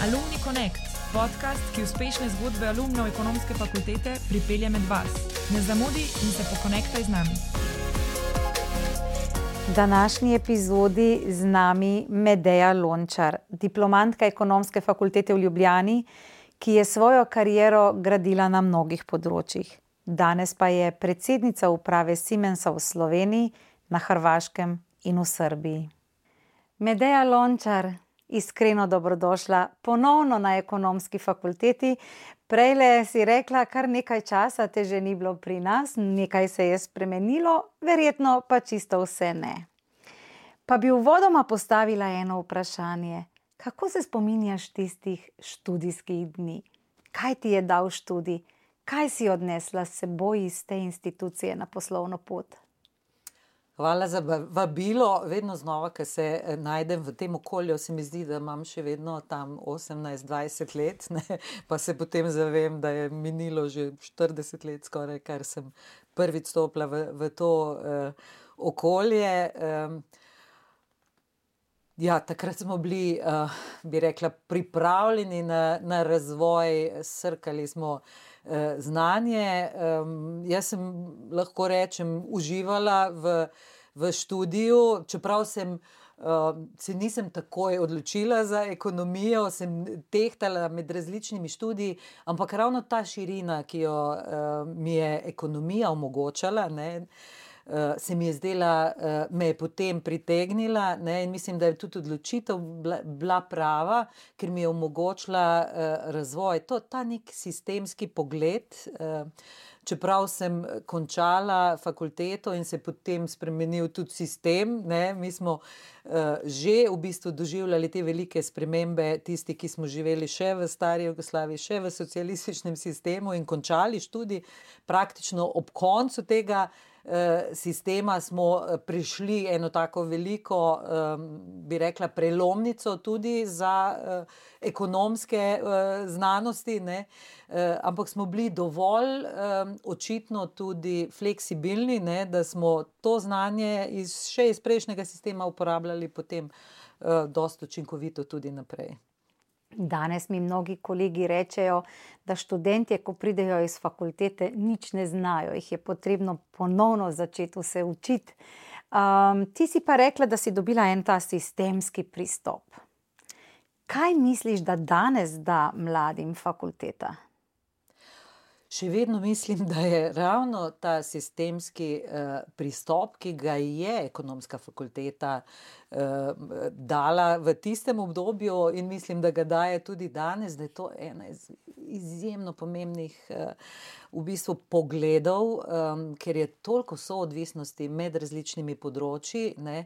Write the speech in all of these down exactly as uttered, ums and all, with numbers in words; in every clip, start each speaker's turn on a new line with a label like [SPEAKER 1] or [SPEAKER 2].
[SPEAKER 1] Alumni Connect, podcast, ki uspešne zgodbe alumnov ekonomske fakultete pripelje med vas. Ne zamudi in se pokonektaj z nami.
[SPEAKER 2] V današnji epizodi z nami Medeja Lončar, diplomantka ekonomske fakultete v Ljubljani, ki je svojo kariero gradila na mnogih področjih. Danes pa je predsednica uprave Siemensa v Sloveniji, na Hrvaškem in v Srbiji. Medeja Lončar, iskreno dobrodošla ponovno na ekonomski fakulteti. Prejle si rekla, kar nekaj časa te že ni bilo pri nas, nekaj se je spremenilo, verjetno pa čisto vse ne. Pa bi uvodoma postavila eno vprašanje. Kako se spominjaš tistih študijskih dni? Kaj ti je dal študij? Kaj si odnesla s seboj iz te institucije na poslovno pot?
[SPEAKER 3] Hvala za vabilo. Vedno znova, ko se najdem v tem okolju, se mi zdi, da imam še vedno tam osemnajst dvajset let, ne? Pa se potem zavem, da je minilo že štirideset let skoraj, kar sem prvič stopila v, v to uh, okolje. Um, ja, takrat smo bili, uh, bi rekla, pripravljeni na, na razvoj, srkali smo znanje. Um, jaz sem, lahko rečem, uživala v, v študiju, čeprav sem, uh, se nisem takoj odločila za ekonomijo, sem tehtala med različnimi študiji, ampak ravno ta širina, ki jo uh, mi je ekonomija omogočala, ne, Uh, se mi je zdela, uh, me je potem pritegnila, ne, in mislim, da je tudi odločitev bila, bila prava, ker mi je omogočila uh, razvoj. To, ta nek sistemski pogled, uh, čeprav sem končala fakulteto in se potem spremenil tudi sistem, ne, mi smo uh, že v bistvu doživljali te velike spremembe, tisti, ki smo živeli še v stari Jugoslaviji, še v socialističnem sistemu in končali študij, praktično ob koncu tega sistema smo prišli eno tako veliko, bi rekla, prelomnico tudi za ekonomske znanosti, ne, ampak smo bili dovolj očitno tudi fleksibilni, ne, da smo to znanje iz, še iz prejšnjega sistema uporabljali potem dosti učinkovito tudi naprej.
[SPEAKER 2] Danes mi mnogi kolegi rečejo, da študentje, ko pridejo iz fakultete, nič ne znajo, jih je potrebno ponovno začeti vse učiti. Um, ti si pa rekla, da si dobila en ta sistemski pristop. Kaj misliš, da danes da mladim fakulteta?
[SPEAKER 3] Še vedno mislim, da je ravno ta sistemski uh, pristop, ki ga je ekonomska fakulteta uh, dala v tistem obdobju in mislim, da ga daje tudi danes, da je to ena iz izjemno pomembnih uh, v bistvu pogledov, um, ker je toliko soodvisnosti med različnimi področji, ne,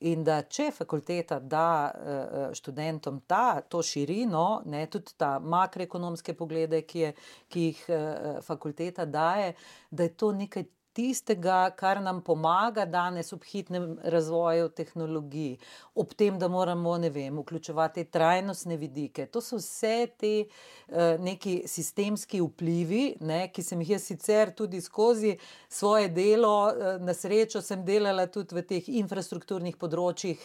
[SPEAKER 3] in da če fakulteta da uh, študentom ta, to širino, ne, tudi ta makroekonomske poglede, ki, je, ki jih uh, fakulteta daje, da je to nekaj tistega, kar nam pomaga danes ob hitnem razvoju tehnologij, ob tem, da moramo, ne vem, vključevati trajnostne vidike. To so vse te uh, neki sistemski vplivi, ne, ki sem jih jaz sicer tudi skozi svoje delo, uh, na srečo sem delala tudi v teh infrastrukturnih področjih,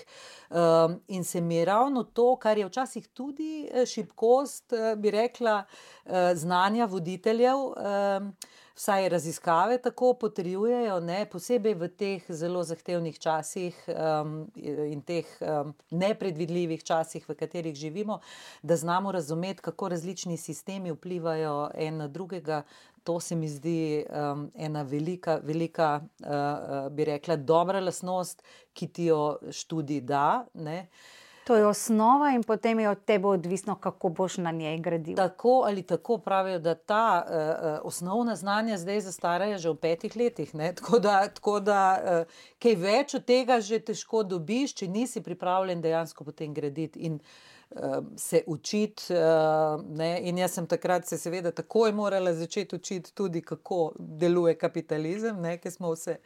[SPEAKER 3] uh, in se mi je ravno to, kar je včasih tudi šibkost, uh, bi rekla, uh, znanja voditeljev, uh, vsaj raziskave tako potrjujejo, ne, posebej v teh zelo zahtevnih časih um, in teh um, nepredvidljivih časih, v katerih živimo, da znamo razumeti, kako različni sistemi vplivajo en na drugega. To se mi zdi um, ena velika, velika, uh, bi rekla, dobra lastnost, ki ti jo študij da, ne.
[SPEAKER 2] To je osnova in potem je od tebe odvisno, kako boš na njej gradil.
[SPEAKER 3] Tako ali tako pravijo, da ta uh, osnovna znanja zdaj zastarajo že v petih letih, ne? Tako da, tako da uh, kaj več od tega že težko dobiš, če nisi pripravljen dejansko potem graditi in uh, se učiti, uh, ne? In jaz sem takrat se seveda takoj morala začeti učiti tudi, kako deluje kapitalizem, ne? Ker smo vse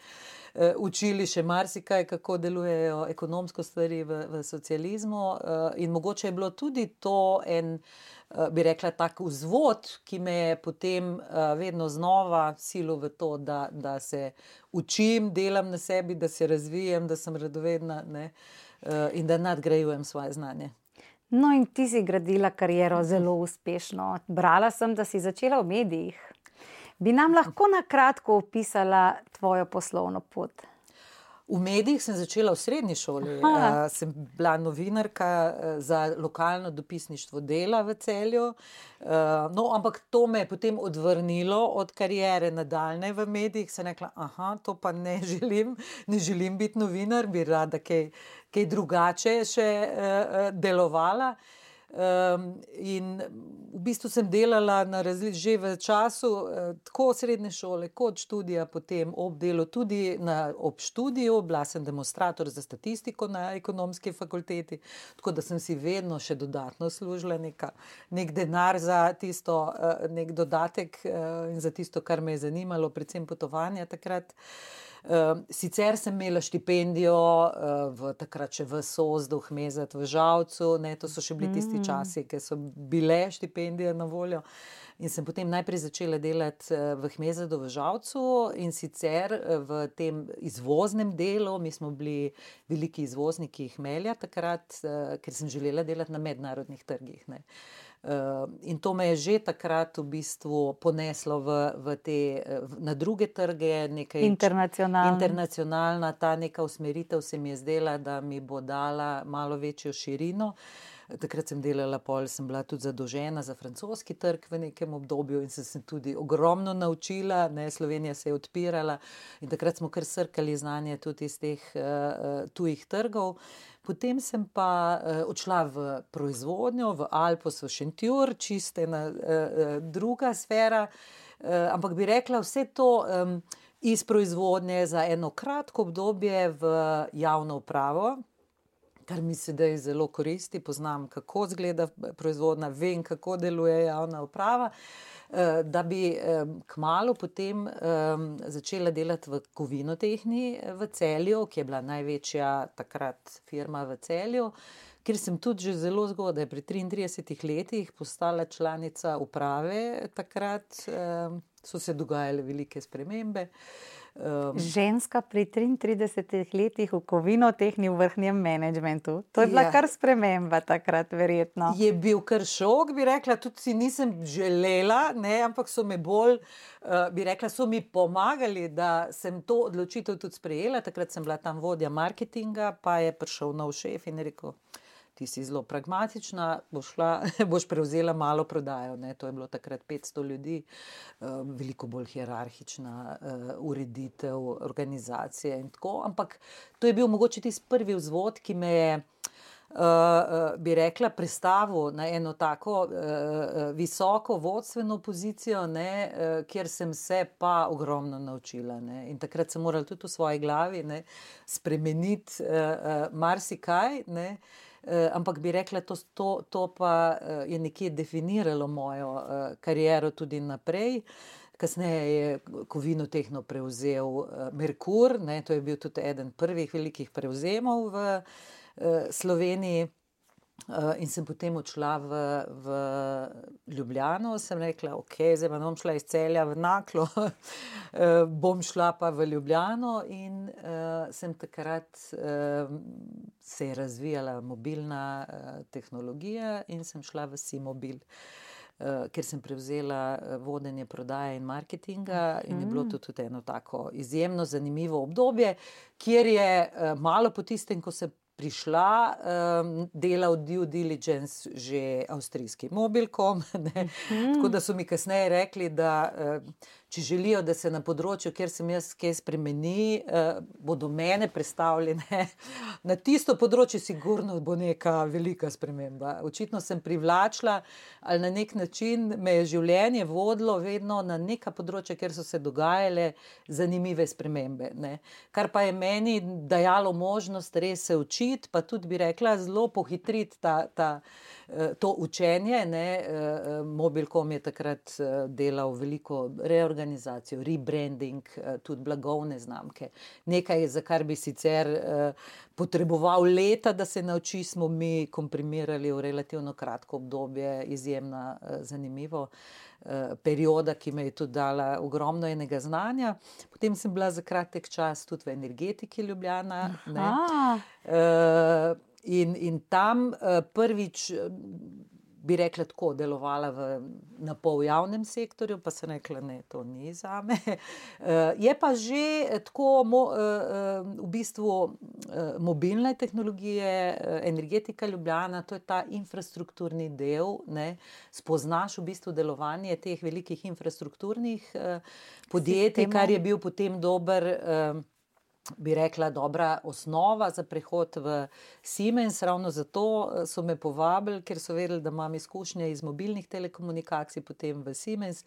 [SPEAKER 3] Uh, učili še marsikaj, kako delujejo ekonomsko stvari v, v socializmu, uh, in mogoče je bilo tudi to en, uh, bi rekla, tak vzvod, ki me je potem uh, vedno znova silil v to, da, da se učim, delam na sebi, da se razvijem, da sem radovedna, ne, uh, in da nadgrajujem svoje znanje.
[SPEAKER 2] No, in ti si gradila kariero zelo uspešno. Brala sem, da si začela v medijih. Bi nam lahko na kratko opisala tvojo poslovno pot?
[SPEAKER 3] V medijih sem začela v srednji šoli. Uh, sem bila novinarka za lokalno dopisništvo Dela v Celju. Uh, no, ampak to me je potem odvrnilo od kariere nadaljne v medijih. Sem rekla, aha, to pa ne želim, ne želim biti novinar, bi rada kaj, kaj drugače še uh, delovala. Um, in v bistvu sem delala na razli- že v času uh, tako srednje šole kot študija, potem ob delu tudi na, ob študiju, bila sem demonstrator za statistiko na ekonomski fakulteti, tako da sem si vedno še dodatno služila neka, nek denar za tisto, uh, nek dodatek uh, in za tisto, kar me je zanimalo, predvsem potovanja takrat. Uh, sicer sem imela štipendijo uh, v, takrat še v Sozdu, Hmezat v Žalcu, ne, to so še bili tisti časi, ki so bile štipendije na voljo, in sem potem najprej začela delati uh, v Hmezatu v Žalcu in sicer uh, v tem izvoznem delu. Mi smo bili veliki izvozniki hmelja takrat, uh, ker sem želela delati na mednarodnih trgih, ne. Uh, in to me je že takrat v bistvu poneslo v, v te, v, na druge trge, nekaj
[SPEAKER 2] internacionalna.
[SPEAKER 3] internacionalna, ta neka usmeritev se mi je zdela, da mi bo dala malo večjo širino. Takrat sem delala pol, sem bila tudi zadolžena za francoski trg v nekem obdobju in sem se tudi ogromno naučila, ne, Slovenija se je odpirala in takrat smo kar srkali znanje tudi iz teh uh, tujih trgov. Potem sem pa uh, odšla v proizvodnjo, v Alpos, v Šentjur, čiste ena uh, druga sfera, uh, ampak bi rekla vse to um, iz proizvodnje za eno kratko obdobje v javno upravo, kar mi sedaj zelo koristi, poznam, kako izgleda proizvodnja, vem, kako deluje javna uprava, da bi kmalu potem začela delati v Kovinotehni v Celju, ki je bila največja takrat firma v Celju, kjer sem tudi že zelo zgodaj, pri triintridesetih letih postala članica uprave. Takrat so se dogajale velike spremembe.
[SPEAKER 2] Um, Ženska pri triintridesetih letih v Kovinotehni v vrhnjem menedžmentu. To je bila ja. kar sprememba takrat, verjetno.
[SPEAKER 3] Je bil kar šok, bi rekla, tudi si nisem želela, ne, ampak so me bolj, uh, bi rekla, so mi pomagali, da sem to odločitev tudi sprejela. Takrat sem bila tam vodja marketinga, pa je prišel nov šef in je rekel, ti si zelo pragmatična, boš, šla, boš prevzela malo prodajo. Ne? To je bilo takrat petsto ljudi, uh, veliko bolj hierarhična uh, ureditev, organizacije in tako. Ampak to je bil mogoče tisti prvi vzvod, ki me je, uh, uh, bi rekla, prestavil na eno tako uh, visoko vodstveno pozicijo, ne? Uh, kjer sem se pa ogromno naučila. Ne? In takrat sem morala tudi v svoji glavi, ne, spremeniti uh, uh, marsikaj, ne? Uh, ampak bi rekla, to, to, to pa uh, je nekje definiralo mojo uh, kariero tudi naprej. Kasneje je Kovinotehno prevzel uh, Merkur, ne, to je bil tudi eden prvih velikih prevzemov v uh, Sloveniji. Uh, in sem potem odšla v, v Ljubljano, sem rekla, ok, zdaj pa bom šla iz Celja v Naklo, uh, bom šla pa v Ljubljano in uh, sem takrat uh, se je razvijala mobilna uh, tehnologija in sem šla v Simobil, uh, ker sem prevzela vodenje prodaje in marketinga in je bilo to tudi eno tako izjemno zanimivo obdobje, kjer je uh, malo po tistem, ko se prišla, um, delal due diligence že avstrijski Mobilcom, ne? Mm. Tako da so mi kasneje rekli, da uh, če želijo, da se na področju, kjer sem jaz kaj spremeni, uh, bodo mene prestavljene na tisto področje, sigurno bo neka velika sprememba. Očitno sem privlačila, ali na nek način me je življenje vodilo vedno na neka področja, kjer so se dogajale zanimive spremembe, ne? Kar pa je meni dajalo možnost res se učiti, pa tudi bi rekla, zelo pohitriti ta, ta, to učenje, ne. Mobilcom je takrat delal veliko reorganizacijo, rebranding, tudi blagovne znamke. Nekaj, za kar bi sicer potreboval leta, da se nauči, smo mi komprimirali v relativno kratko obdobje, izjemno zanimivo perioda, ki me je tudi dala ogromno enega znanja. Potem sem bila za kratek čas tudi v Energetiki Ljubljana, ne. Uh, in, in tam prvič, bi rekla tako, delovala v, na pol javnem sektorju, pa sem rekla, ne, to ni zame. Je pa že tako mo, v bistvu mobilne tehnologije, Energetika Ljubljana, to je ta infrastrukturni del, ne, spoznaš v bistvu delovanje teh velikih infrastrukturnih podjetij, Sistemo. Kar je bil potem dober, bi rekla, dobra osnova za prehod v Siemens. Ravno zato so me povabili, ker so vedeli, da imam izkušnje iz mobilnih telekomunikacij, potem v Siemens,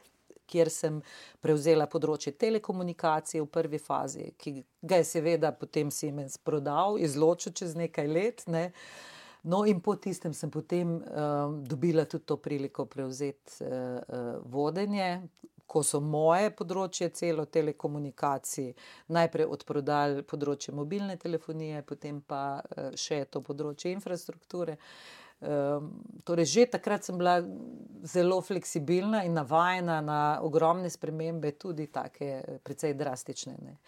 [SPEAKER 3] kjer sem prevzela področje telekomunikacij v prvi fazi, ki ga je seveda potem Siemens prodal, izločil čez nekaj let, ne. No, in po tistem sem potem um, dobila tudi to priliko prevzeti uh, uh, vodenje, ko so moje področje celo telekomunikacij najprej odprodali področje mobilne telefonije, potem pa uh, še to področje infrastrukture. Um, torej, že takrat sem bila zelo fleksibilna in navajena na ogromne spremembe, tudi take precej drastične, ne.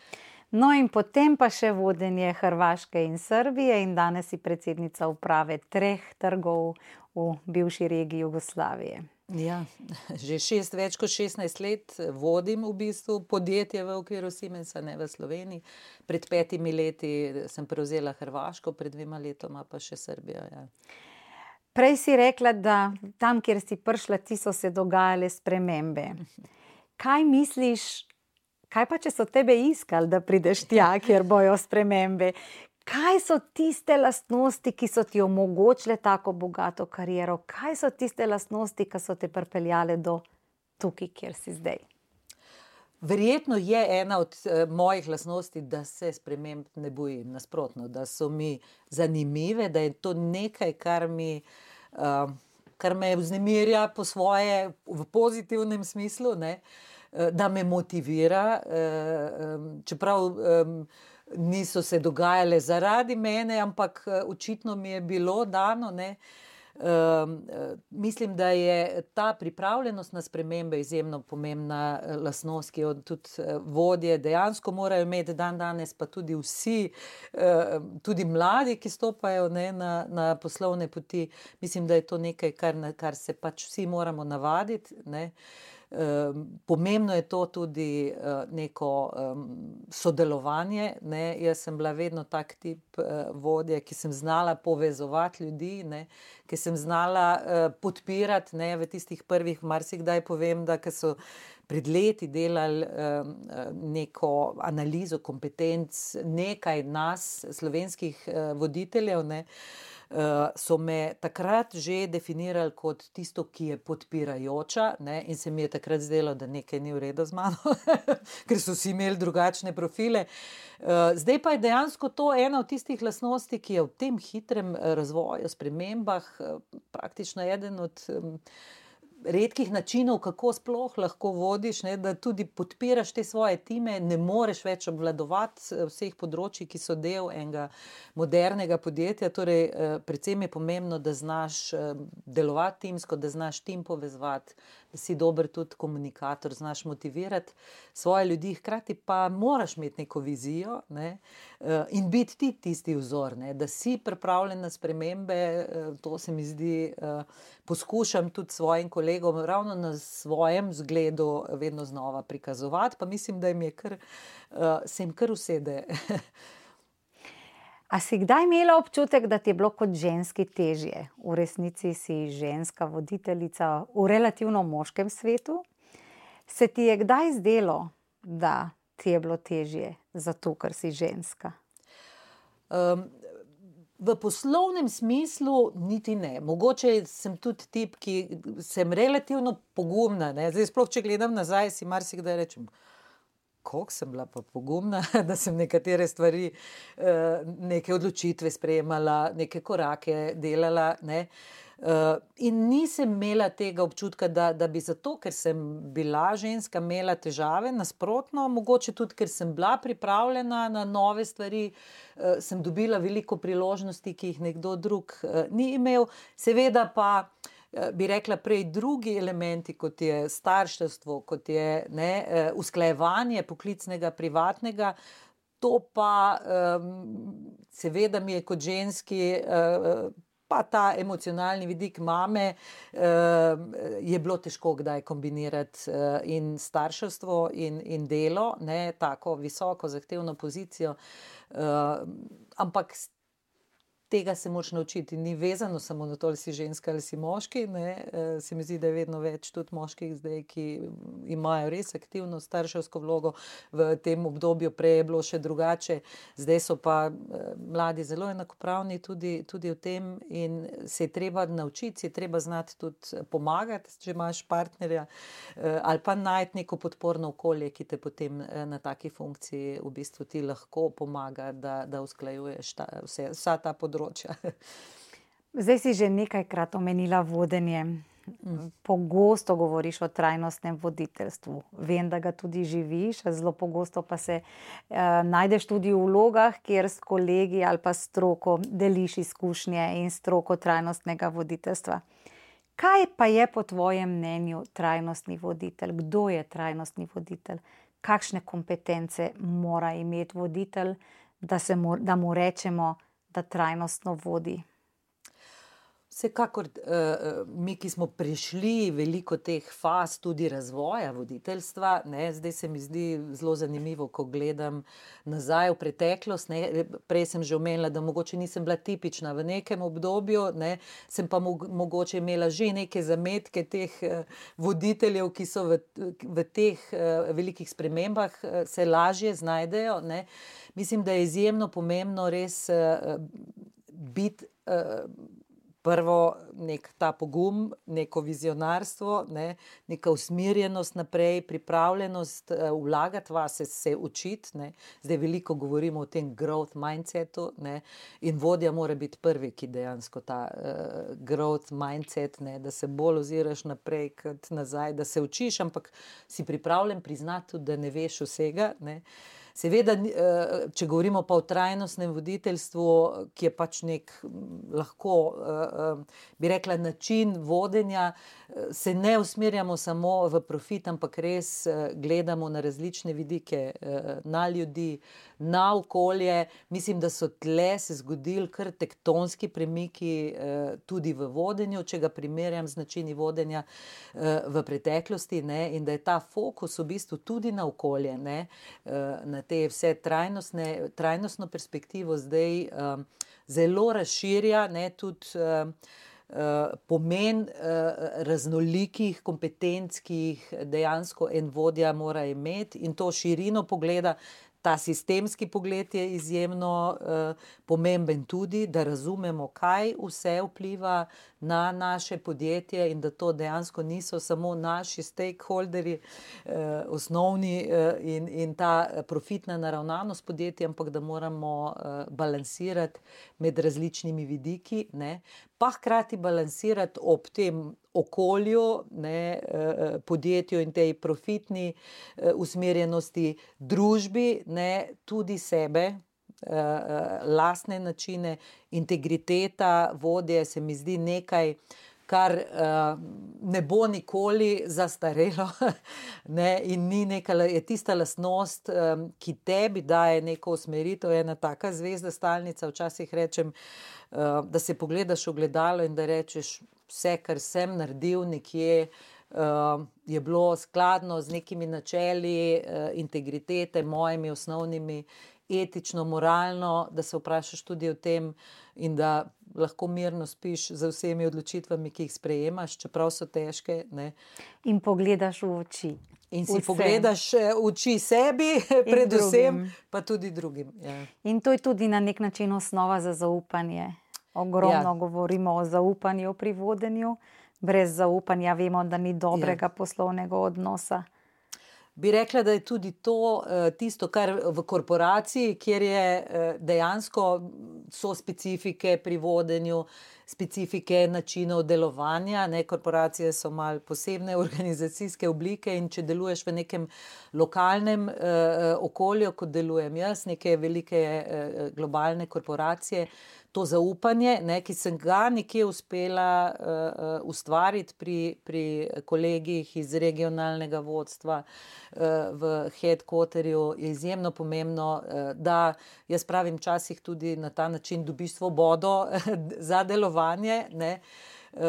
[SPEAKER 2] No, in potem pa še vodenje Hrvaške in Srbije in danes si predsednica uprave treh trgov v bivši regiji Jugoslavije.
[SPEAKER 3] Ja, že šest, več kot šestnajst let vodim v bistvu podjetje v okviru Siemensa, ne v Sloveniji. Pred petimi leti sem prevzela Hrvaško, pred dvema letoma pa še Srbijo, ja.
[SPEAKER 2] Prej si rekla, da tam, kjer si prišla, ti so se dogajale spremembe. Kaj misliš, kaj pa, če so tebe iskali, da prideš tja, kjer bojo spremembe? Kaj so tiste lastnosti, ki so ti omogočile tako bogato kariero? Kaj so tiste lastnosti, ki so te pripeljale do tukaj, kjer si zdaj?
[SPEAKER 3] Verjetno je ena od uh, mojih lastnosti, da se sprememb ne bojim, nasprotno, da so mi zanimive, da je to nekaj, kar mi, uh, kar me vznemirja po svoje v pozitivnem smislu, ne, uh, da me motivira, uh, um, čeprav um, niso se dogajale zaradi mene, ampak uh, očitno mi je bilo dano, ne. Um, mislim, da je ta pripravljenost na spremembe izjemno pomembna lastnost, ki jo tudi vodje dejansko morajo imeti dan danes, pa tudi vsi, uh, tudi mladi, ki stopajo, ne, na, na poslovne poti. Mislim, da je to nekaj, kar, kar se pač vsi moramo navaditi, ne. Um, pomembno je to tudi uh, neko um, sodelovanje, ne. Jaz sem bila vedno tak tip uh, vodje, ki sem znala povezovati ljudi, ne, ki sem znala uh, podpirati, ne, v tistih prvih, marsikdaj povem, da ko so pred leti delali um, neko analizo kompetenc nekaj nas, slovenskih uh, voditeljev, ne, Uh, so me takrat že definirali kot tisto, ki je podpirajoča, ne, in se mi je takrat zdelo, da nekaj ni v redu z mano, ker so si imeli drugačne profile. Uh, zdaj pa je dejansko to ena od tistih lastnosti, ki je v tem hitrem razvoju, spremembah, uh, praktično eden od um, redkih načinov, kako sploh lahko vodiš, ne, da tudi podpiraš te svoje time, ne moreš več obvladovati vseh področij, ki so del enega modernega podjetja, torej predvsem je pomembno, da znaš delovati timsko, da znaš tim povezovati, da si dober tudi komunikator, znaš motivirati svoje ljudi, hkrati pa moraš imeti neko vizijo, ne, in biti ti tisti vzor, ne, da si pripravljen na spremembe, to se mi zdi, poskušam tudi svojim kolegom ravno na svojem zgledu vedno znova prikazovati, pa mislim, da jim je kar, se jim kar usede.
[SPEAKER 2] A si kdaj imela občutek, da ti je bilo kot ženski težje? V resnici si ženska voditeljica v relativno moškem svetu. Se ti je kdaj zdelo, da ti je bilo težje zato, ker si ženska?
[SPEAKER 3] Um, V poslovnem smislu niti ne. Mogoče sem tudi tip, ki sem relativno pogumna, ne. Zdaj sploh, če gledam nazaj, si marsikdaj rečem, koliko sem bila pa pogumna, da sem nekatere stvari, neke odločitve sprejemala, neke korake delala, ne. Uh, in nisem imela tega občutka, da, da bi zato, ker sem bila ženska, imela težave, nasprotno, mogoče tudi, ker sem bila pripravljena na nove stvari, uh, sem dobila veliko priložnosti, ki jih nekdo drug uh, ni imel. Seveda pa, uh, bi rekla prej, drugi elementi, kot je starševstvo, kot je, ne, uh, usklajevanje poklicnega, privatnega, To pa seveda mi je kot ženski, pa ta emocionalni vidik mame, je bilo težko kdaj kombinirati in starševstvo in, in delo, ne, tako visoko zahtevno pozicijo, ampak tega se moraš naučiti, ni vezano samo na to, ali si ženska ali si moški, ne. Se mi zdi, da je vedno več tudi moških zdaj, ki imajo res aktivno starševsko vlogo. V tem obdobju prej je bilo še drugače, zdaj so pa mladi zelo enakopravni tudi, tudi v tem in se je treba naučiti, se je treba znati tudi pomagati, če imaš partnerja, ali pa najti neko podporno okolje, ki te potem na taki funkciji v bistvu ti lahko pomaga, da, da usklajuješ ta, vse, vsa ta področja.
[SPEAKER 2] Zdaj si že nekajkrat omenila vodenje. Pogosto govoriš o trajnostnem voditeljstvu. Vem, da ga tudi živiš, zelo pogosto pa se uh, najdeš tudi v vlogah, kjer s kolegi ali pa stroko deliš izkušnje in stroko trajnostnega voditeljstva. Kaj pa je po tvojem mnenju trajnostni voditelj? Kdo je trajnostni voditelj? Kakšne kompetence mora imeti voditelj, da, se mu, da mu rečemo, da trajnostno vodi?
[SPEAKER 3] Vsekakor mi, ki smo prišli veliko teh faz tudi razvoja voditeljstva, ne, zdaj se mi zdi zelo zanimivo, ko gledam nazaj v preteklost, ne, prej sem že omenila, da mogoče nisem bila tipična v nekem obdobju, ne, sem pa mogoče imela že neke zametke teh voditeljev, ki so v, v teh velikih spremembah se lažje znajdejo, ne. Mislim, da je izjemno pomembno res biti prvo nek ta pogum, neko vizionarstvo, ne, neka usmerjenost naprej, pripravljenost vlagati vase, se učiti, ne. Zdaj veliko govorimo o tem growth mindsetu, ne, in vodja mora biti prvi, ki dejansko ta uh, growth mindset, ne, da se bolj oziraš naprej kot nazaj, da se učiš, ampak si pripravljen priznati, da ne veš vsega, ne. Seveda, če govorimo pa o trajnostnem voditeljstvu, ki je pač nek lahko, bi rekla, način vodenja, se ne usmerjamo samo v profit, ampak res gledamo na različne vidike, na ljudi, na okolje. Mislim, da so tle se zgodili kar tektonski premiki tudi v vodenju, če ga primerjam z načini vodenja v preteklosti, ne, in da je ta fokus v bistvu tudi na okolje, ne, na te vse trajnostne, trajnostno perspektivo zdaj um, zelo razširja, ne, tudi um, uh, pomen uh, raznolikih kompetenc, ki jih dejansko en vodja mora imeti in to širino pogleda. Ta sistemski pogled je izjemno uh, pomemben tudi, da razumemo, kaj vse vpliva na naše podjetje in da to dejansko niso samo naši stakeholderji, uh, osnovni uh, in, in ta profitna naravnanost podjetja, ampak da moramo uh, balansirati med različnimi vidiki, ne, pa hkrati balansirati ob tem okolju, ne, podjetju in tej profitni usmerjenosti, družbi, ne, tudi sebe, lastne načine, integriteta vodje se mi zdi nekaj, kar ne bo nikoli zastarelo, ne, in ni neka, je tista lastnost, ki tebi daje neko usmeritev, ena taka zvezda stalnica, včasih rečem, da se pogledaš v ogledalo in da rečeš, vse, kar sem naredil nekje, je bilo skladno z nekimi načeli integritete, mojimi osnovnimi, etično, moralno, da se vprašaš tudi o tem in da lahko mirno spiš za vsemi odločitvami, ki jih sprejemaš, čeprav so težke, ne.
[SPEAKER 2] In pogledaš v oči.
[SPEAKER 3] In si vsem pogledaš v oči sebi, predvsem, pa tudi drugim. Ja.
[SPEAKER 2] In to je tudi na nek način osnova za zaupanje. Ogromno ja. govorimo o zaupanju pri vodenju. Brez zaupanja vemo, da ni dobrega ja. poslovnega odnosa.
[SPEAKER 3] Bi rekla, da je tudi to tisto, kar v korporaciji, kjer je dejansko so specifike pri vodenju, specifike načinov delovanja, ne, korporacije so malo posebne organizacijske oblike in če deluješ v nekem lokalnem eh, okolju, kot delujem jaz, neke velike eh, globalne korporacije, to zaupanje, ne, ki sem ga nekje uspela uh, ustvariti pri, pri kolegih iz regionalnega vodstva uh, v headquarterju, je izjemno pomembno, uh, da jaz pravim včasih tudi na ta način dobiš svobodo za delovanje, ne. Uh,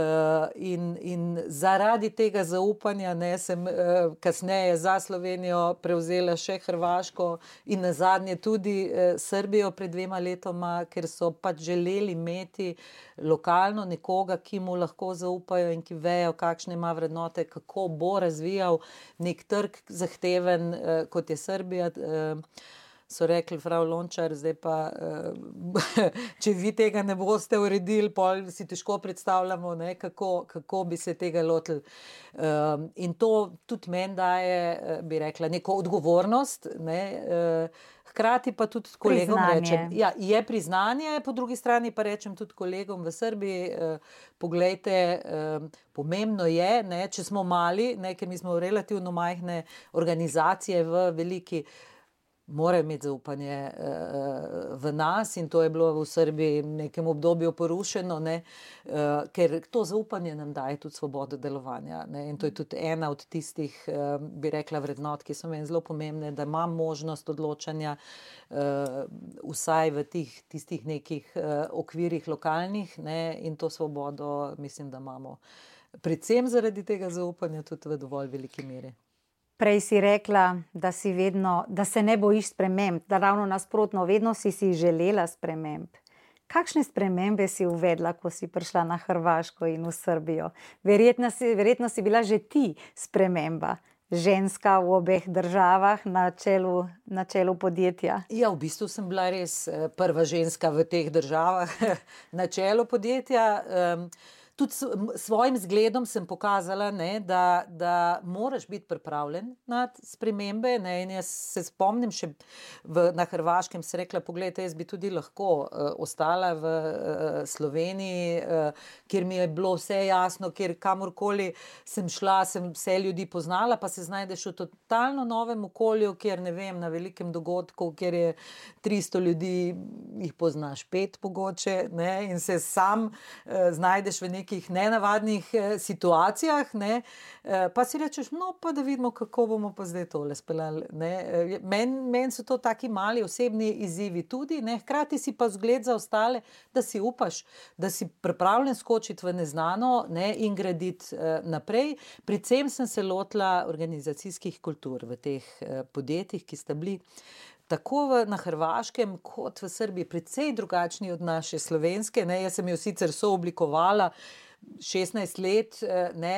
[SPEAKER 3] in, in zaradi tega zaupanja ne, sem uh, kasneje za Slovenijo prevzela še Hrvaško in nazadnje tudi uh, Srbijo pred dvema letoma, ker so pač želeli imeti lokalno nekoga, ki mu lahko zaupajo in ki vejo, kakšne ima vrednote, kako bo razvijal nek trg zahteven, uh, kot je Srbija. Uh, so rekli, frau Lončar, zdaj pa, če vi tega ne boste uredili, pol si težko predstavljamo, ne, kako, kako bi se tega lotili. In to tudi meni daje, bi rekla, neko odgovornost, ne, hkrati pa tudi kolegom rečem. Ja, je priznanje, po drugi strani pa rečem tudi kolegom v Srbiji, poglejte, pomembno je, ne, če smo mali, ne, ker mi smo relativno majhne organizacije v veliki, morajo imeti zaupanje uh, v nas in to je bilo v Srbiji v nekem obdobju porušeno, ne, uh, ker to zaupanje nam daje tudi svobodo delovanja, ne, in to je tudi ena od tistih, uh, bi rekla, vrednot, ki so meni zelo pomembne, da imam možnost odločanja uh, vsaj v tih, tistih nekih uh, okvirih lokalnih, ne, in to svobodo mislim, da imamo predvsem zaradi tega zaupanja tudi v dovolj veliki meri.
[SPEAKER 2] Prej si rekla, da, si vedno, da se ne bojiš sprememb, da ravno nasprotno, vedno si si želela sprememb. Kakšne spremembe si uvedla, ko si prišla na Hrvaško in v Srbijo? Verjetno si, verjetno si bila že ti sprememba, ženska v obeh državah na čelu, na čelu podjetja.
[SPEAKER 3] Ja, v bistvu sem bila res prva ženska v teh državah na čelu podjetja. Um, Tudi s svojim zgledom sem pokazala, ne, da, da moraš biti pripravljen na spremembe. Ne, in jaz se spomnim še v, na Hrvaškem, sem rekla, pogledajte, jaz bi tudi lahko uh, ostala v uh, Sloveniji, uh, kjer mi je bilo vse jasno, kjer kamorkoli sem šla, sem vse ljudi poznala, pa se znajdeš v totalno novem okolju, kjer ne vem, na velikem dogodku, kjer je tristo ljudi, jih poznaš pet pogoče, ne, in se sam uh, znajdeš v nekaj nekih nenavadnih eh, situacijah, ne, eh, pa si rečeš, no, pa da vidimo, kako bomo pa zdaj tole speljali, ne. Eh, Meni men so to taki mali osebni izzivi tudi, ne, hkrati si pa zgled za ostale, da si upaš, da si pripravljen skočiti v neznano, ne, in graditi eh, naprej. Predvsem sem se lotila organizacijskih kultur v teh eh, podjetjih, ki sta bili tako v, na Hrvaškem kot v Srbiji precej drugačni od naše slovenske, ne, jaz sem jo sicer sooblikovala šestnajst let, ne,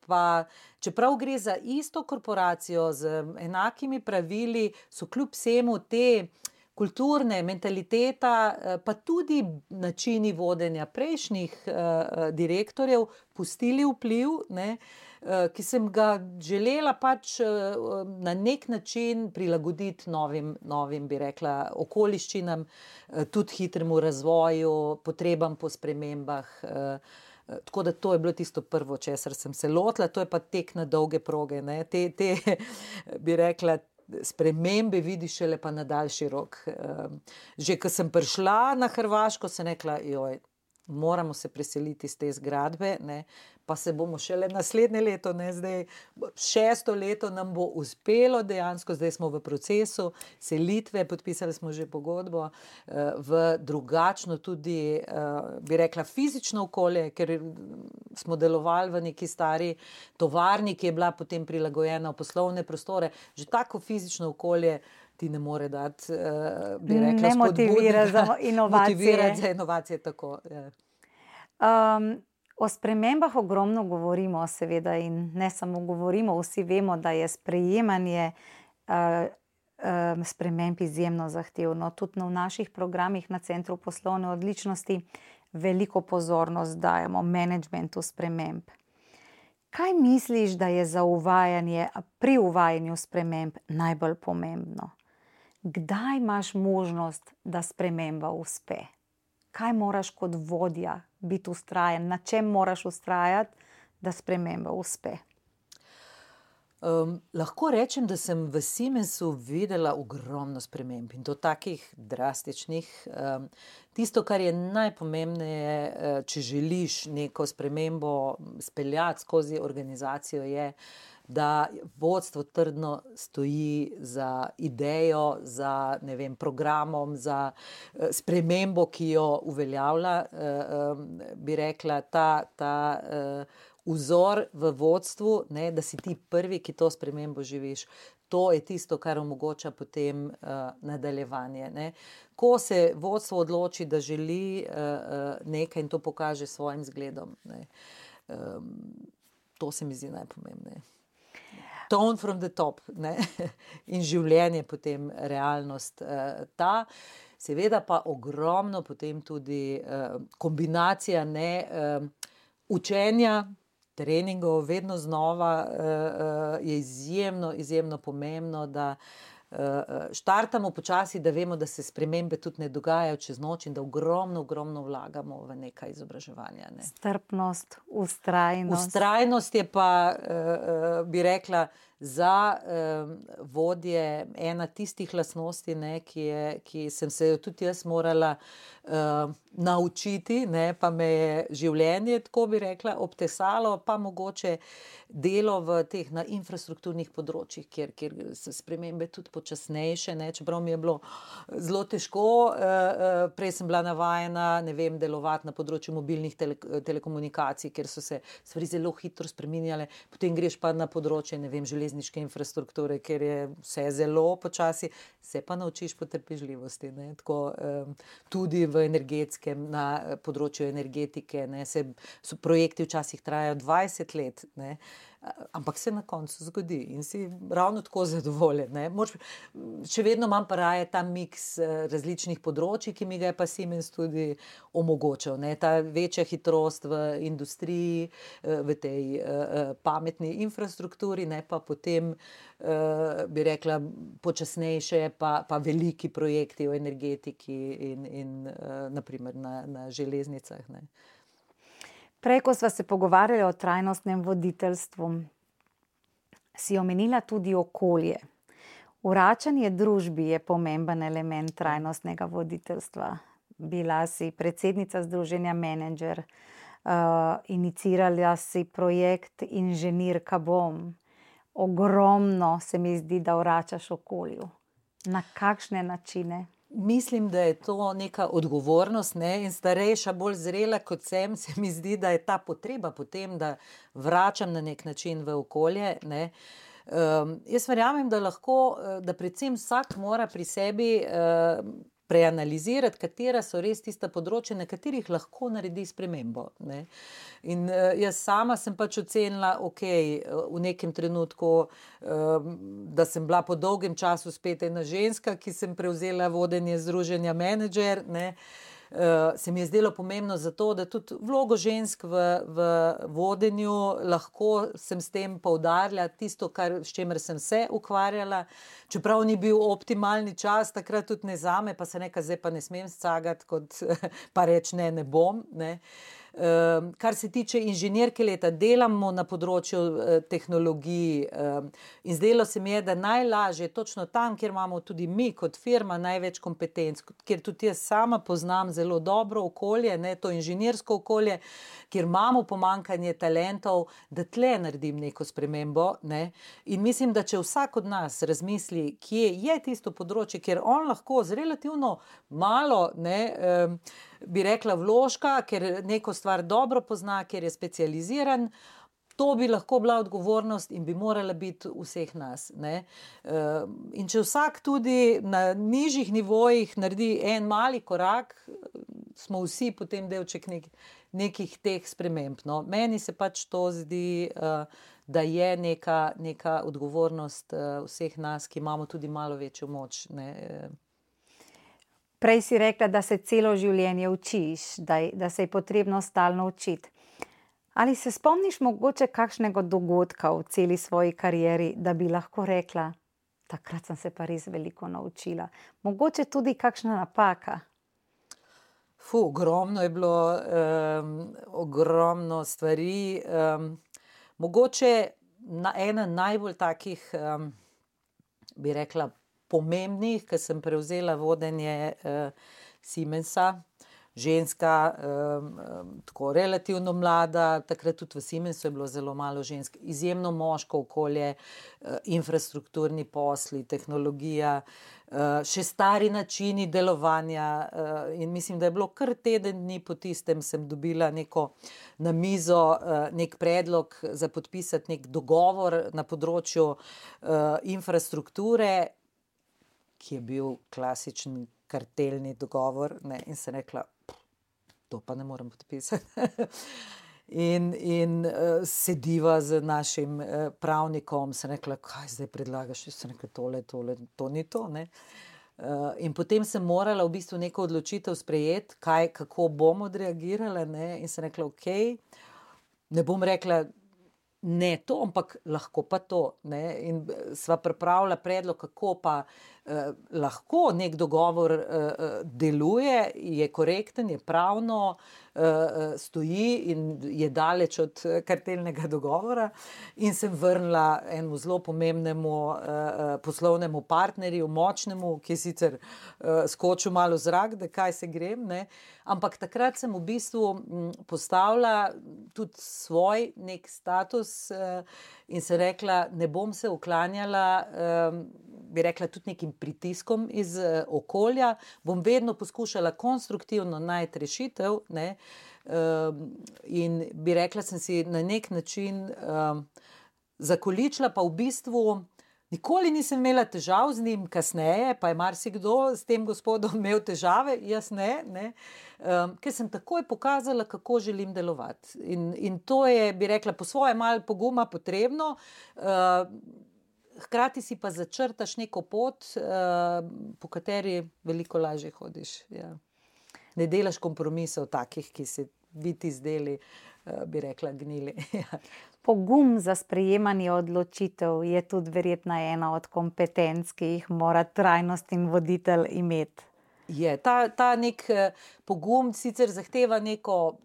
[SPEAKER 3] pa čeprav gre za isto korporacijo z enakimi pravili, so kljub vsemu te kulturne mentaliteta, pa tudi načini vodenja prejšnjih uh, direktorjev pustili vpliv, ne, uh, ki sem ga želela pač uh, na nek način prilagoditi novim, novim, bi rekla, okoliščinam, uh, tudi hitremu razvoju, potrebam po spremembah. Uh, Tako da to je bilo tisto prvo, česar sem se lotila, to je pa tek na dolge proge, ne, te, te bi rekla, spremembe vidiš šele pa na daljši rok. Že ko sem prišla na Hrvaško, sem rekla, joj, moramo se preseliti iz te zgradbe, ne, pa se bomo šele naslednje leto, ne, zdaj šesto leto nam bo uspelo dejansko, zdaj smo v procesu selitve, podpisali smo že pogodbo v drugačno tudi, bi rekla, fizično okolje, ker smo delovali v neki stari tovarni, ki je bila potem prilagojena v poslovne prostore, že tako fizično okolje ti ne more dati, bi rekla,
[SPEAKER 2] ne motivira za inovacije.
[SPEAKER 3] Motivirati za inovacije, tako. Ja.
[SPEAKER 2] Um, o spremembah ogromno govorimo, seveda, in ne samo govorimo, vsi vemo, da je sprejemanje uh, um, sprememb izjemno zahtevno. Tudi v naših programih na Centru poslovne odličnosti veliko pozornost dajemo menedžmentu sprememb. Kaj misliš, da je za uvajanje, pri uvajanju sprememb najbolj pomembno? Kdaj imaš možnost, da sprememba uspe? Kaj moraš kot vodja biti vztrajen? Na čem moraš vztrajati, da sprememba uspe?
[SPEAKER 3] Um, lahko rečem, da sem v Siemensu videla ogromno sprememb in to takih drastičnih. Um, tisto, kar je najpomembneje, če želiš neko spremembo speljati skozi organizacijo, je, da vodstvo trdno stoji za idejo, za, ne vem, programom, za uh, spremembo, ki jo uveljavlja, uh, um, bi rekla, ta, ta uh, vzor v vodstvu, ne, da si ti prvi, ki to spremembo živiš. To je tisto, kar omogoča potem uh, nadaljevanje. Ne. Ko se vodstvo odloči, da želi uh, uh, nekaj in to pokaže s svojim zgledom, ne. Um, to se mi zdi najpomembneje. Tone from the top, ne. In življenje potem realnost uh, ta. Seveda pa ogromno potem tudi uh, kombinacija ne, uh, učenja, treningov, vedno znova uh, je izjemno, izjemno pomembno, da uh, štartamo počasi, da vemo, da se spremembe tudi ne dogajajo čez noč in da ogromno, ogromno vlagamo v nekaj izobraževanja. Ne.
[SPEAKER 2] Strpnost, vztrajnost.
[SPEAKER 3] Vztrajnost je pa, uh, bi rekla, za um, vodje ena tistih lastnosti, ne, ki, je, ki sem se jo tudi jaz morala uh, naučiti, ne, pa me je življenje, tako bi rekla, obtesalo, pa mogoče delo v teh na infrastrukturnih področjih, kjer, kjer so spremembe tudi počasnejše, ne, čeprav mi je bilo zelo težko. Uh, uh, prej sem bila navajena, ne vem, delovati na področju mobilnih tele, telekomunikacij, kjer so se stvari zelo hitro spreminjale, potem greš pa na področje, ne vem, železniške infrastrukture, kjer je vse zelo počasi, se pa naučiš potrpežljivosti, ne, tako um, tudi v energetskem, na področju energetike, ne, se, so projekti včasih trajajo dvajset let, ne, ampak se na koncu zgodi in si ravno tako zadovoljen. Ne. Moč, še vedno imam pa raje ta miks različnih področij, ki mi ga je pa Siemens tudi omogočal. Ne. Ta večja hitrost v industriji, v tej uh, pametni infrastrukturi, ne, pa potem, uh, bi rekla, počasnejše, pa, pa veliki projekti v energetiki in, in uh, naprimer na, na železnicah. Ne.
[SPEAKER 2] Prej, ko sva se pogovarjali o trajnostnem voditeljstvu, si omenila tudi okolje. Vračanje družbi je pomemben element trajnostnega voditeljstva. Bila si predsednica Združenja Menedžer, uh, inicirala si projekt Inženirka bom. Ogromno se mi zdi, da vračaš okolju. Na kakšne načine?
[SPEAKER 3] Mislim, da je to neka odgovornost, ne, in starejša, bolj zrela kot sem, se mi zdi, da je ta potreba potem, da vračam na nek način v okolje, ne. Um, jaz verjamem, da lahko, da predvsem vsak mora pri sebi uh, preanalizirati, katera so res tista področja, na katerih lahko naredi spremembo, ne. In uh, jaz sama sem pač ocenila, ok, v nekem trenutku, uh, da sem bila po dolgem času spet ena ženska, ki sem prevzela vodenje Združenja Menedžer, ne. Uh, se mi je zdelo pomembno zato, da tudi vlogo žensk v, v vodenju lahko sem s tem poudarila tisto, kar, s čemer sem se ukvarjala, čeprav ni bil optimalni čas, takrat tudi ne zame, pa se nekaj zdaj pa ne smem scagati, kot pa reč ne, ne bom, ne. Uh, kar se tiče inženirke leta, delamo na področju uh, tehnologij uh, in zdelo se mi je, da najlažje točno tam, kjer imamo tudi mi kot firma največ kompetenc, kjer tudi jaz sama poznam zelo dobro okolje, ne, to inženirsko okolje, kjer imamo pomanjkanje talentov, da tle naredim neko spremembo, ne. In mislim, da če vsak od nas razmisli, kje je tisto področje, kjer on lahko z relativno malo, ne, um, bi rekla vložka, ker neko stvar dobro pozna, ker je specializiran, to bi lahko bila odgovornost in bi morala biti vseh nas, ne. In če vsak tudi na nižjih nivojih naredi en mali korak, smo vsi potem delček nek, nekih teh sprememb, no. Meni se pač to zdi, da je neka, neka odgovornost vseh nas, ki imamo tudi malo večjo moč, ne.
[SPEAKER 2] Prej si rekla, da se celo življenje učiš, da, da se je potrebno stalno učiti. Ali se spomniš mogoče kakšnega dogodka v celi svoji karieri, da bi lahko rekla, takrat sem se pa res veliko naučila? Mogoče tudi kakšna napaka?
[SPEAKER 3] Fu, ogromno je bilo, um, ogromno stvari. Um, mogoče na ena najbolj takih, um, bi rekla, pomembnih, ker sem prevzela vodenje uh, Siemensa, ženska, um, um, tako relativno mlada, takrat tudi v Siemensu je bilo zelo malo žensk, izjemno moško okolje, uh, infrastrukturni posli, tehnologija, uh, še stari načini delovanja uh, in mislim, da je bilo kar teden dni po tistem, sem dobila neko na mizo, uh, nek predlog za podpisati nek dogovor na področju uh, infrastrukture, ki je bil klasičen kartelni dogovor, ne, in sem rekla, to pa ne morem podpisati. in in uh, sediva z našim uh, pravnikom, sem rekla, kaj zdaj predlagaš, sem rekla, tole, tole, to ni to, ne. Uh, in potem sem morala v bistvu neko odločitev sprejeti, kaj, kako bom odreagirala, ne, in sem rekla, ok, ne bom rekla, ne to, ampak lahko pa to, ne, in sva pripravila predlog, kako pa eh, lahko nek dogovor eh, deluje, je korekten, je pravno, eh, stoji in je daleč od kartelnega dogovora in sem vrnila enemu zelo pomembnemu eh, poslovnemu partnerju, močnemu, ki je sicer eh, skočil malo v zrak, da kaj se grem, ne, ampak takrat sem v bistvu m, postavila tudi svoj nek status in se rekla, ne bom se uklanjala, bi rekla, tudi nekim pritiskom iz okolja, bom vedno poskušala konstruktivno najti rešitev, ne, in bi rekla, sem si na nek način zakoličila, pa v bistvu nikoli nisem imela težav z njim, kasneje pa je marsikdo s tem gospodom imel težave, jaz ne, ne, um, ker sem takoj pokazala, kako želim delovati. In, in to je, bi rekla, po svoje malo poguma potrebno, uh, hkrati si pa začrtaš neko pot, uh, po kateri veliko lažje hodiš. Ja. Ne delaš kompromisov takih, ki se bi ti zdeli, uh, bi rekla, gnili.
[SPEAKER 2] Pogum za sprejemanje odločitev je tudi verjetno ena od kompetenc, ki jih mora trajnostni voditelj imeti.
[SPEAKER 3] Je, ta, ta nek pogum sicer zahteva neko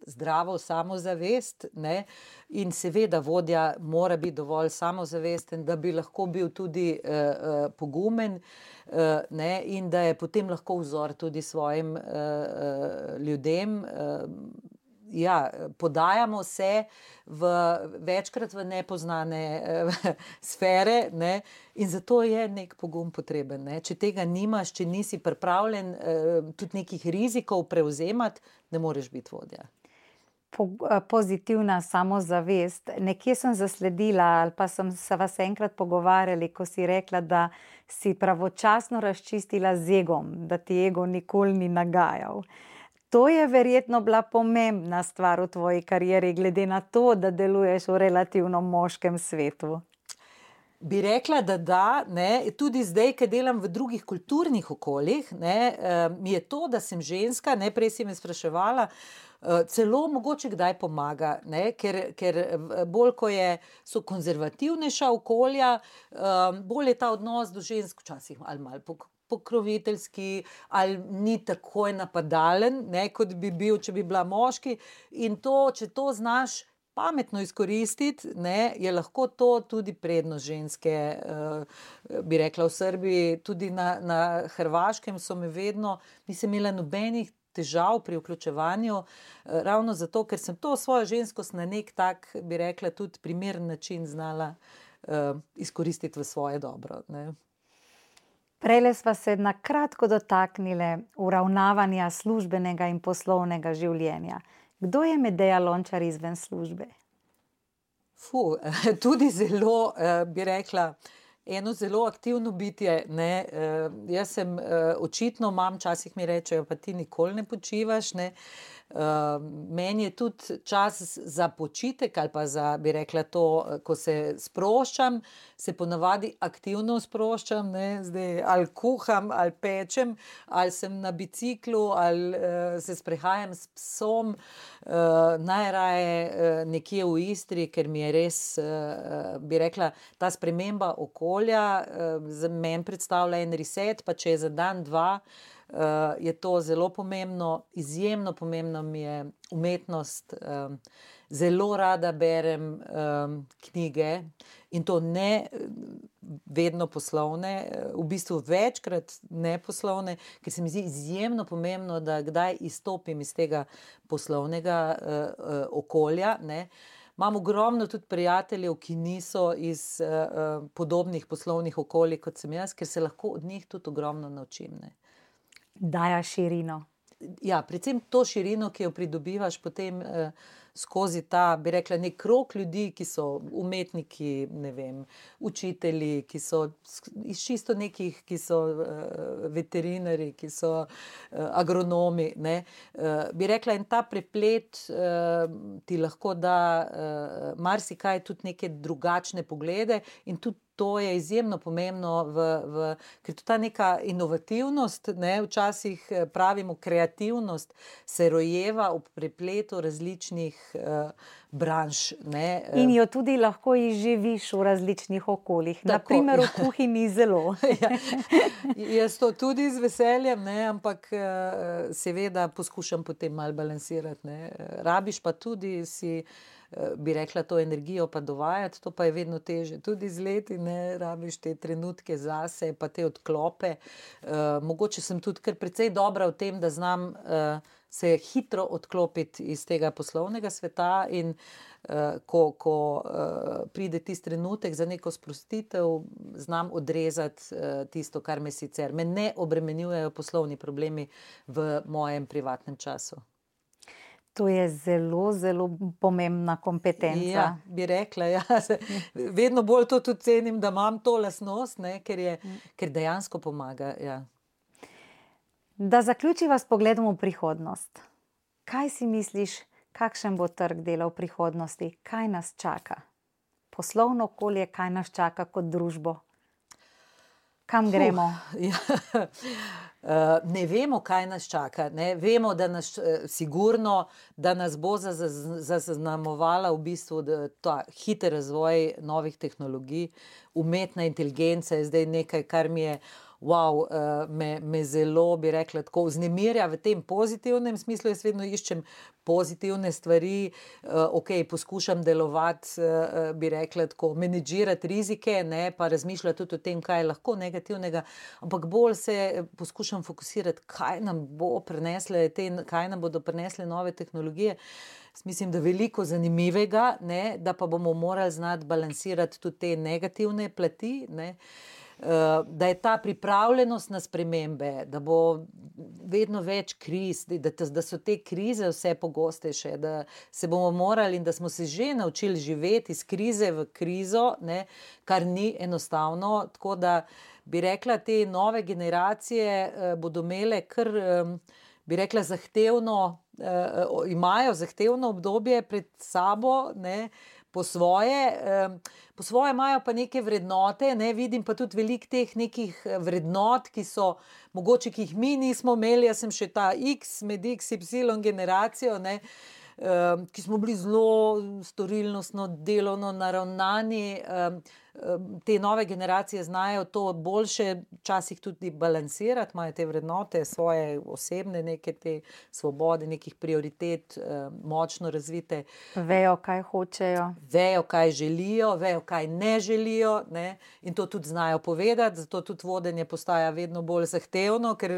[SPEAKER 3] zdravo samozavest, ne, in seveda vodja mora biti dovolj samozavesten, da bi lahko bil tudi uh, pogumen, uh, ne, in da je potem lahko vzor tudi svojim uh, uh, ljudem. Uh, Ja, podajamo se v, večkrat v nepoznane eh, sfere, ne, in zato je nek pogum potreben. Ne. Če tega nimaš, če nisi pripravljen eh, tudi nekih rizikov prevzemati, ne moreš biti vodja.
[SPEAKER 2] Po, pozitivna samozavest. Nekje sem zasledila, ali pa sem se vas enkrat pogovarjali, ko si rekla, da si pravočasno razčistila z egom, da ti ego nikoli ni nagajal. To je verjetno bila pomembna stvar v tvoji karieri, glede na to, da deluješ v relativno moškem svetu.
[SPEAKER 3] Bi rekla, da da, ne, tudi zdaj, ko delam v drugih kulturnih okoljih, ne, mi je to, da sem ženska, ne, prej si me spraševala, celo mogoče kdaj pomaga, ne, ker, ker bolj, ko je, so konzervativnejša okolja, bolj je ta odnos do žensk včasih ali malo pok pokroviteljski ali ni takoj napadalen, ne, kot bi bil, če bi bila moški, in to, če to znaš pametno izkoristiti, ne, je lahko to tudi prednost ženske, uh, bi rekla v Srbiji, tudi na, na Hrvaškem so me vedno, nisem imela nobenih težav pri vključevanju, uh, ravno zato, ker sem to svojo ženskost na nek tak, bi rekla, tudi primeren način znala uh, izkoristiti v svoje dobro, ne.
[SPEAKER 2] Prejle sva se na kratko dotaknile uravnavanja službenega in poslovnega življenja. Kdo je Medeja Lončar izven službe?
[SPEAKER 3] Fu, tudi zelo, bi rekla, eno zelo aktivno bitje, ne, jaz sem, očitno imam, včasih mi rečejo, pa ti nikoli ne počivaš, ne, Uh, meni je tudi čas za počitek ali pa za, bi rekla to, ko se sproščam, se ponavadi aktivno sproščam, ne, zdaj ali kuham, ali pečem, ali sem na biciklu, ali uh, se sprehajam s psom, uh, najraje uh, nekje v Istri, ker mi je res, uh, bi rekla, ta sprememba okolja uh, za meni predstavlja en reset, pa če je za dan, dva, Uh, je to zelo pomembno, izjemno pomembno mi je umetnost, uh, zelo rada berem um, knjige in to ne vedno poslovne, v bistvu večkrat ne poslovne, ker se mi zdi izjemno pomembno, da kdaj izstopim iz tega poslovnega uh, uh, okolja, ne. Imam ogromno tudi prijateljev, ki niso iz uh, podobnih poslovnih okolij, kot sem jaz, ker se lahko od njih tudi ogromno naučim, ne.
[SPEAKER 2] Daja širino.
[SPEAKER 3] Ja, predvsem to širino, ki jo pridobivaš potem uh, skozi ta, bi rekla, nek krog ljudi, ki so umetniki, ne vem, učitelji, ki so iz čisto nekih, ki so uh, veterinari, ki so uh, agronomi, ne. Uh, bi rekla, in ta preplet uh, ti lahko da uh, marsikaj, tudi neke drugačne poglede in tudi to je izjemno pomembno, v, v, ker to ta neka inovativnost, ne, včasih pravimo kreativnost, se rojeva ob prepletu različnih uh, branž. Ne.
[SPEAKER 2] In jo tudi lahko izživiš v različnih okoljih,
[SPEAKER 3] Tako,
[SPEAKER 2] na primer
[SPEAKER 3] ja.
[SPEAKER 2] v kuhinji zelo.
[SPEAKER 3] Ja, jaz to tudi z veseljem, ne, ampak uh, seveda poskušam potem malo balansirati, ne. Rabiš pa tudi si, bi rekla, to energijo pa dovajati, to pa je vedno teže. Tudi z leti ne rabiš te trenutke zase, pa te odklope. Uh, mogoče sem tudi kar precej dobra v tem, da znam uh, se hitro odklopiti iz tega poslovnega sveta in uh, ko, ko uh, pride tisti trenutek za neko sprostitev, znam odrezati uh, tisto, kar me sicer, me ne obremenjujejo poslovni problemi v mojem privatnem času.
[SPEAKER 2] To je zelo, zelo pomembna kompetenca.
[SPEAKER 3] Ja, bi rekla, ja. Vedno bolj to tudi cenim, da imam to lastnost, ne, ker je, ker dejansko pomaga, ja.
[SPEAKER 2] Da zaključiva s pogledom v prihodnost. Kaj si misliš, kakšen bo trg dela v prihodnosti? Kaj nas čaka? Poslovno okolje, kaj nas čaka kot družbo? Kam gremo?
[SPEAKER 3] Uh, ja. Uh, ne vemo, kaj nas čaka. Ne? Vemo, da nas uh, sigurno, da nas bo zaznamovala v bistvu ta hiter razvoj novih tehnologij. Umetna inteligenca je zdaj nekaj, kar mi je wow, uh, me, me zelo, bi rekla, tako vznemirja v tem pozitivnem smislu. Jaz vedno iščem pozitivne stvari, uh, ok, poskušam delovati, uh, bi rekla, tako menedžirati rizike, ne, pa razmišljati tudi o tem, kaj je lahko negativnega, ampak bolj se poskušam fokusirati, kaj nam bo prinesle te, kaj nam bodo prinesle nove tehnologije. Mislim, da veliko zanimivega, ne, da pa bomo morali znati balansirati tudi te negativne plati, ne. Da je ta pripravljenost na spremembe, da bo vedno več kriz, da, da so te krize vse pogostejše, da se bomo morali in da smo se že naučili živeti iz krize v krizo, ne, kar ni enostavno, tako da bi rekla, te nove generacije bodo imele kar, bi rekla, zahtevno, imajo zahtevno obdobje pred sabo, ne, po svoje, po svoje imajo pa neke vrednote, ne, vidim pa tudi veliko teh nekih vrednot, ki so, mogoče, ki jih mi nismo imeli, jaz sem še ta X med X Y generacijo, ne, ki smo bili zelo storilnostno, delovno naravnani, te nove generacije znajo to boljše včasih tudi balansirati, imajo te vrednote, svoje osebne neke te svobode, nekih prioritet, močno razvite.
[SPEAKER 2] Vejo, kaj hočejo.
[SPEAKER 3] Vejo, kaj želijo, vejo, kaj ne želijo, ne, in to tudi znajo povedati, zato tudi vodenje postaja vedno bolj zahtevno, ker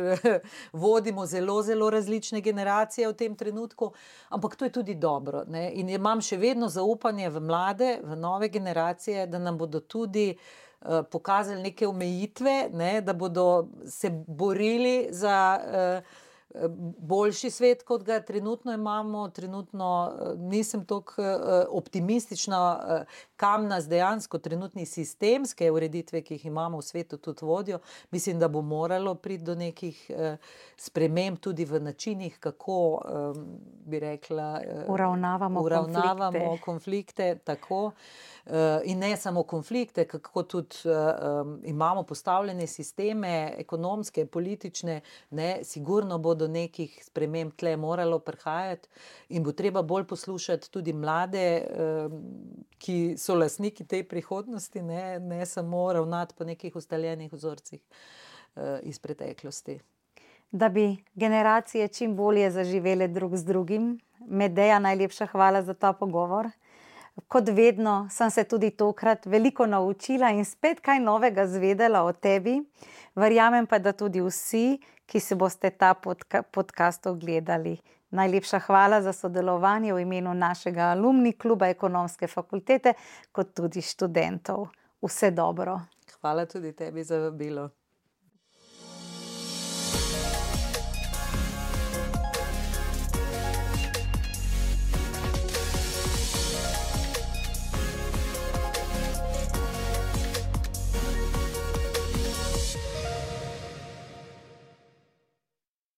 [SPEAKER 3] vodimo zelo, zelo različne generacije v tem trenutku, ampak to je tudi dobro, ne, in imam še vedno zaupanje v mlade, v nove generacije, da nam bodo tudi uh, pokazali neke omejitve, ne, da bodo se borili za uh, boljši svet, kot ga trenutno imamo. Trenutno uh, nisem toliko uh, optimistična, uh, kam nas dejansko trenutni sistemske ureditve, ki jih imamo v svetu, tudi vodijo. Mislim, da bo moralo priti do nekih uh, sprememb tudi v načinih, kako, um, bi rekla, uh,
[SPEAKER 2] uravnavamo,
[SPEAKER 3] uravnavamo
[SPEAKER 2] konflikte.
[SPEAKER 3] konflikte, tako. Uh, in ne samo konflikte, kako tudi uh, um, imamo postavljene sisteme, ekonomske, politične, ne, sigurno bo do nekih sprememb tle moralo prihajati in bo treba bolj poslušati tudi mlade, uh, ki so lastniki te prihodnosti, ne, ne samo ravnati po nekih ustaljenih vzorcih uh, iz preteklosti.
[SPEAKER 2] da bi generacije čim bolje zaživele drug z drugim. Medeja, najlepša hvala za ta pogovor. Kot vedno sem se tudi tokrat veliko naučila in spet kaj novega zvedela o tebi. Verjamem pa, da tudi vsi, ki se boste ta podka- podcast ogledali. Najlepša hvala za sodelovanje v imenu našega alumni kluba Ekonomske fakultete, kot tudi študentov. Vse dobro.
[SPEAKER 3] Hvala tudi tebi za vabilo.